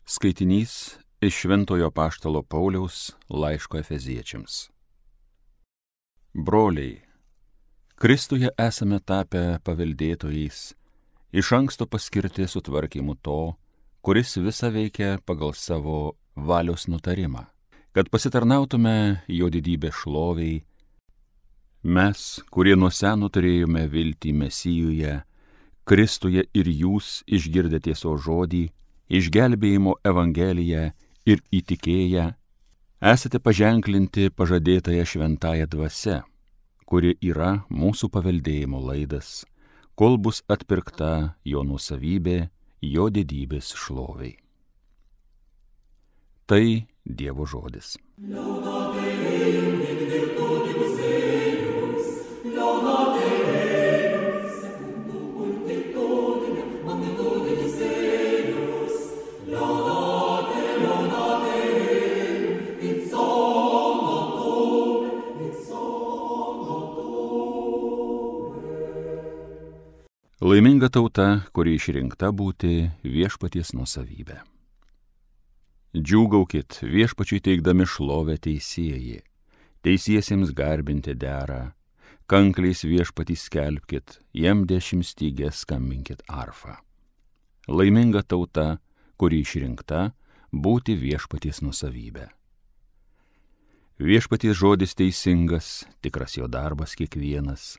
Skaitinys iš Šventojo Apaštalo Pauliaus laiško Efeziečiams. Broliai, Kristuje esame tapę paveldėtojais, iš anksto paskirti sutvarkymu to, kuris visa veikia pagal savo valios nutarimą, kad pasitarnautume jo didybės šloviai. Mes, kurie nuo seno turėjome viltį Mesijuje, Kristuje ir jūs išgirdę tiesos žodį, išgelbėjimo Evangeliją ir įtikėję, esate paženklinti pažadėtąją šventąją dvasia, kuri yra mūsų paveldėjimo laidas, kol bus atpirkta jo nuosavybė, jo didybės šloviai. Tai Dievo žodis. Laiminga tauta, kuri išrinkta būti viešpaties nuosavybė. Džiūgaukit viešpačiui teikdami šlovę teisėjai, teisiesiems garbinti dera, kankliais viešpatį skelbkit, jam 10 stygės skambinkit arfą. Laiminga tauta, kuri išrinkta būti viešpaties nuosavybė. Viešpaties žodis teisingas, tikras jo darbas kiekvienas,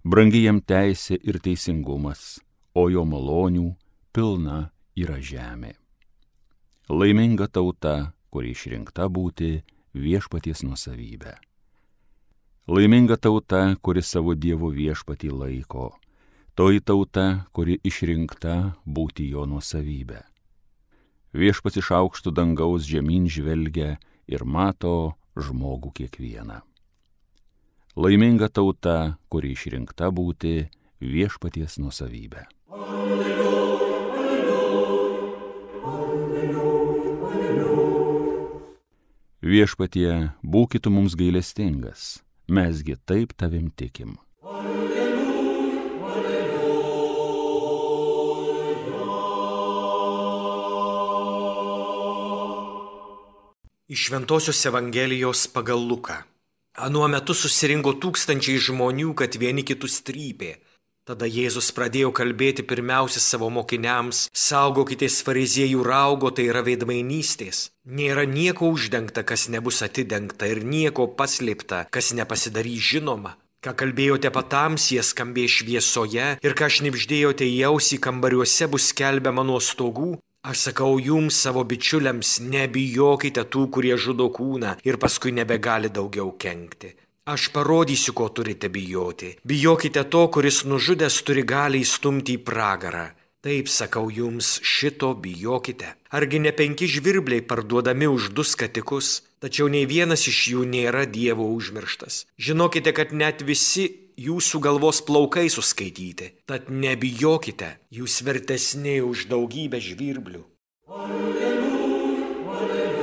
brangi jam teisė ir teisingumas, o jo malonių pilna yra žemė. Laiminga tauta, kuri išrinkta būti viešpaties nuosavybė. Laiminga tauta, kuri savo Dievo viešpatį laiko, toji tauta, kuri išrinkta būti jo nuosavybė. Viešpats iš aukštų dangaus žemyn žvelgia ir mato žmogų kiekvieną. Laiminga tauta, kuri išrinkta būti viešpaties nuosavybė. Alleluja, alleluja, alleluja, alleluja. Viešpatie, būkit mums gailestingas, mesgi taip tavim tikim. Alleluja, alleluja. Iš Šventosios Evangelijos pagal Luką. Anuo metu susirinko tūkstančiai žmonių, kad vieni kitus trypė. Tada Jėzus pradėjo kalbėti pirmiausia savo mokiniams: saugokitės fariziejų raugo, tai yra veidmainystės. Nėra nieko uždengta, kas nebus atidengta, ir nieko paslėpta, kas nepasidarys žinoma. Ką kalbėjote patamsyje, skambės šviesoje, ir ką šnibždėjote į ausį kambariuose, bus skelbiama nuo stogų. Aš sakau jums, savo bičiuliams, nebijokite tų, kurie žudo kūną ir paskui nebegali daugiau kenkti. Aš parodysiu, ko turite bijoti. Bijokite to, kuris nužudęs turi galią įstumti į pragarą. Taip sakau jums, šito bijokite. Argi ne 5 žvirbliai parduodami už 2 skatikus, tačiau nei vienas iš jų nėra Dievo užmirštas. Žinokite, kad net visi jūsų galvos plaukai suskaityti, tad nebijokite, jūs vertesni už daugybę žvirblių. Alleluja, alleluja.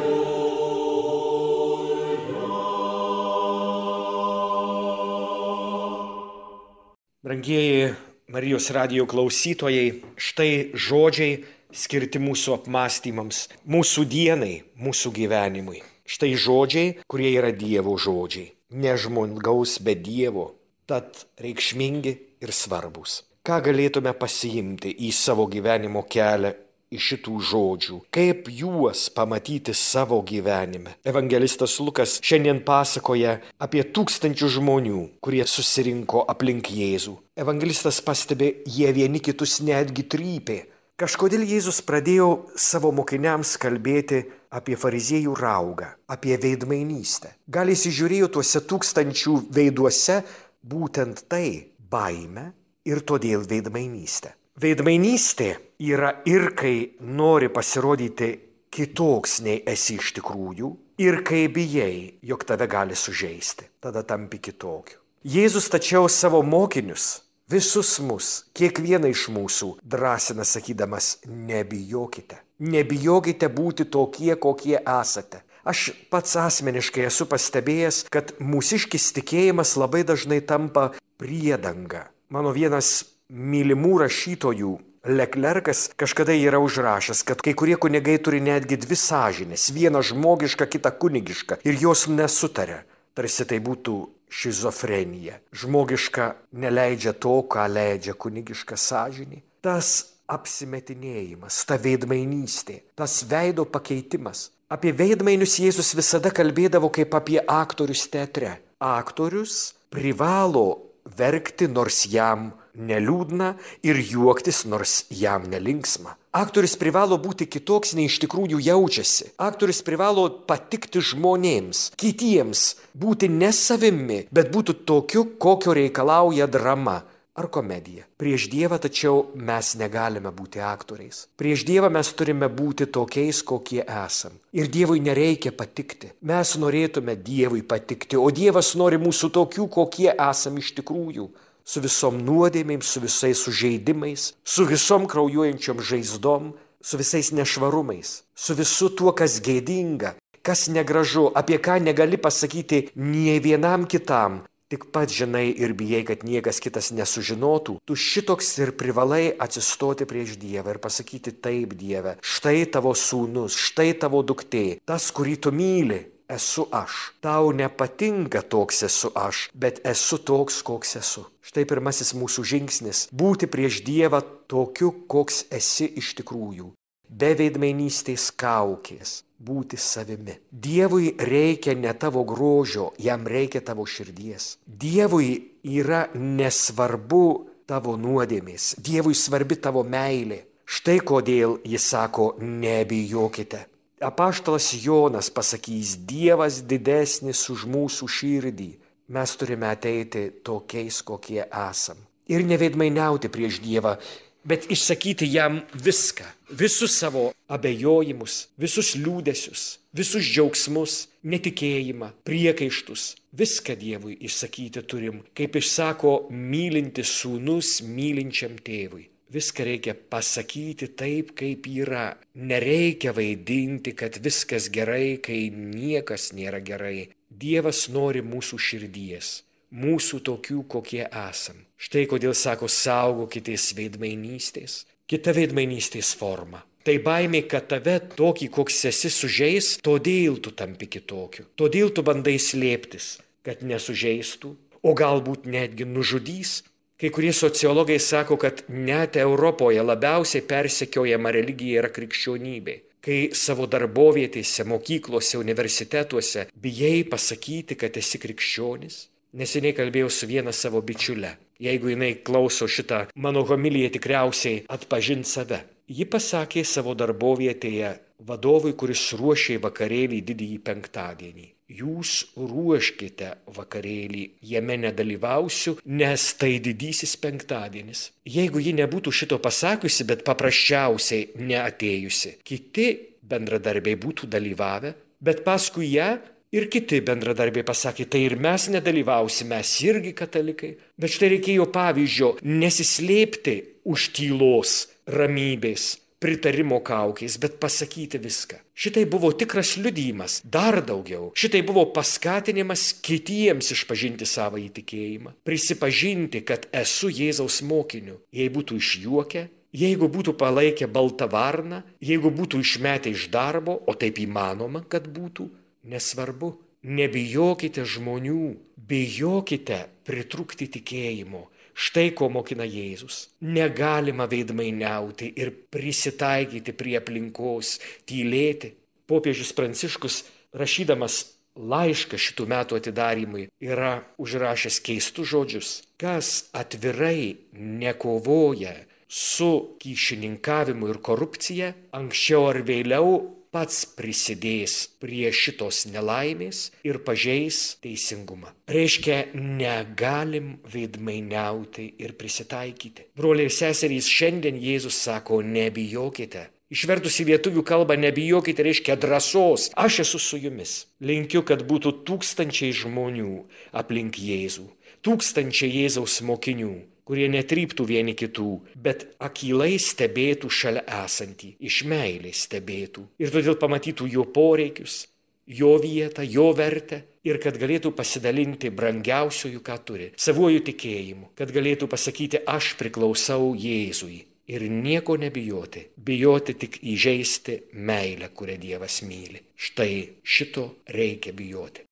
Brangieji Marijos radijo klausytojai, štai žodžiai skirti mūsų apmąstymams, mūsų dienai, mūsų gyvenimui. Štai žodžiai, kurie yra Dievo žodžiai, ne žmogaus, bet Dievo. Tad reikšmingi ir svarbus. Ką galėtume pasiimti į savo gyvenimo kelią iš šitų žodžių? Kaip juos pamatyti savo gyvenime? Evangelistas Lukas šiandien pasakoja apie 1000 žmonių, kurie susirinko aplink Jėzų. Evangelistas pastebi, jie vieni kitus netgi trypė. Kažkodėl Jėzus pradėjo savo mokiniams kalbėti apie fariziejų raugą, apie veidmainystę. Gal įsižiūrėjo tuose 1000 veiduose būtent tai – baimė ir todėl veidmainystė. Veidmainystė yra ir kai nori pasirodyti kitoks nei esi iš tikrųjų, ir kai bijai, jog tave gali sužeisti, tada tampi kitokiu. Jėzus tačiau savo mokinius, visus mus, kiekvieną iš mūsų drąsina sakydamas: nebijokite. Nebijokite būti tokie, kokie esate. Aš pats asmeniškai esu pastebėjęs, kad mūsiškis tikėjimas labai dažnai tampa priedanga. Mano vienas mylimų rašytojų Leclercas kažkada yra užrašęs, kad kai kurie kunigai turi netgi dvi sąžinės, vieną žmogišką, kitą kunigišką, ir jos nesutaria. Tarsi tai būtų šizofrenija. Žmogiška neleidžia to, ką leidžia kunigiška sąžinė. Tas apsimetinėjimas, ta veidmainystė, tas veido pakeitimas. Apie veidmainius Jėzus visada kalbėdavo kaip apie aktorius teatre. Aktorius privalo verkti, nors jam neliūdna, ir juoktis, nors jam nelinksma. Aktorius privalo būti kitoks, nei iš tikrųjų jaučiasi. Aktorius privalo patikti žmonėms, kitiems, būti ne savimi, bet būti tokiu, kokio reikalauja drama ar komedija. Prieš Dievą tačiau mes negalime būti aktoriais. Prieš Dievą mes turime būti tokiais, kokie esam. Ir Dievui nereikia patikti. Mes norėtume Dievui patikti, o Dievas nori mūsų tokių, kokie esam iš tikrųjų. Su visom nuodėmėm, su visais sužeidimais, su visom kraujuojančiom žaizdom, su visais nešvarumais, su visu tuo, kas gėdinga, kas negražu, apie ką negali pasakyti nie vienam kitam. Tik pats žinai ir bijai, kad niekas kitas nesužinotų, tu šitoks ir privalai atsistoti prieš Dievą ir pasakyti: taip, Dieve, štai tavo sūnus, štai tavo duktė, tas, kurį tu myli, esu aš. Tau nepatinka toks esu aš, bet esu toks, koks esu. Štai pirmasis mūsų žingsnis – būti prieš Dievą tokiu, koks esi iš tikrųjų. Be veidmainystės kaukės. Būti savimi. Dievui reikia ne tavo grožio, jam reikia tavo širdies. Dievui yra nesvarbu tavo nuodėmės, Dievui svarbi tavo meilė. Štai kodėl jis sako: nebijokite. Apaštalas Jonas pasakys: Dievas didesnis už mūsų širdį. Mes turime ateiti tokiais, kokie esam. Ir neveidmainiauti prieš Dievą, bet išsakyti jam viską, visus savo abejojimus, visus liūdesius, visus džiaugsmus, netikėjimą, priekaištus. Viską Dievui išsakyti turim, kaip išsako mylintis sūnus mylinčiam tėvui. Viską reikia pasakyti taip, kaip yra. Nereikia vaidinti, kad viskas gerai, kai niekas nėra gerai. Dievas nori mūsų širdies. Mūsų tokių, kokie esam. Štai kodėl sako: saugokitės veidmainystės. Kita veidmainystės forma. Tai baimė, kad tave tokį, koks esi, sužeis, todėl tu tampi kitokiu. Todėl tu bandai slėptis, kad nesužeistų, o galbūt netgi nužudys. Kai kurie sociologai sako, kad net Europoje labiausiai persekiojama religija yra krikščionybė. Kai savo darbovietėse, mokyklose, universitetuose bijai pasakyti, kad esi krikščionis. Neseniai kalbėjau su viena savo bičiule. Jeigu jinai klauso šitą mano homiliją, tikriausiai atpažins save. Ji pasakė savo darbovietėje vadovui, kuris ruošė vakarėlį didįjį penktadienį: jūs ruoškite vakarėlį, jame nedalyvausiu, nes tai didysis penktadienis. Jeigu ji nebūtų šito pasakiusi, bet paprasčiausiai neatėjusi, kiti bendradarbiai būtų dalyvavę, bet paskui ją ir kiti bendradarbiai pasakė: tai ir mes nedalyvausime, mes irgi katalikai. Bet štai reikėjo pavyzdžio nesislėpti už tylos, ramybės, pritarimo kaukės, bet pasakyti viską. Šitai buvo tikras liudijimas, dar daugiau. Šitai buvo paskatinimas kitiems išpažinti savo įtikėjimą, prisipažinti, kad esu Jėzaus mokiniu. Jei būtų išjuokę, jeigu būtų palaikę baltą varną, jeigu būtų išmetę iš darbo, o taip įmanoma, kad būtų, nesvarbu. Nebijokite žmonių, bijokite pritrūkti tikėjimo. Štai ko mokina Jėzus. Negalima veidmainiauti ir prisitaikyti prie aplinkos, tylėti. Popiežius Pranciškus, rašydamas laišką šitų metų atidarymui, yra užrašęs keistus žodžius. Kas atvirai nekovoja su kyšininkavimu ir korupcija, anksčiau ar vėliau pats prisidės prie šitos nelaimės ir pažeis teisingumą. Reiškia, negalim veidmainiauti ir prisitaikyti. Broliai ir seserys, šiandien Jėzus sako: nebijokite. Išvertus į lietuvių kalbą nebijokite reiškia drąsos. Aš esu su jumis. Linkiu, kad būtų tūkstančiai žmonių aplink Jėzų. Tūkstančiai Jėzaus mokinių, kurie netryptų vieni kitų, bet akylai stebėtų šalia esantį, iš meilės stebėtų. Ir todėl pamatytų jo poreikius, jo vietą, jo vertę, ir kad galėtų pasidalinti brangiausiųjų, ką turi, savuoju tikėjimu, kad galėtų pasakyti: aš priklausau Jėzui. ir nieko nebijoti. Bijoti tik įžeisti meilę, kurią Dievas myli. Štai šito reikia bijoti.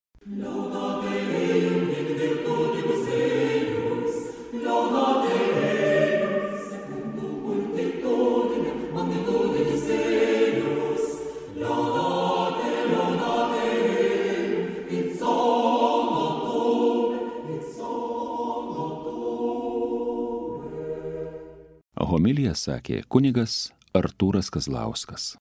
Homiliją sakė kunigas Artūras Kazlauskas.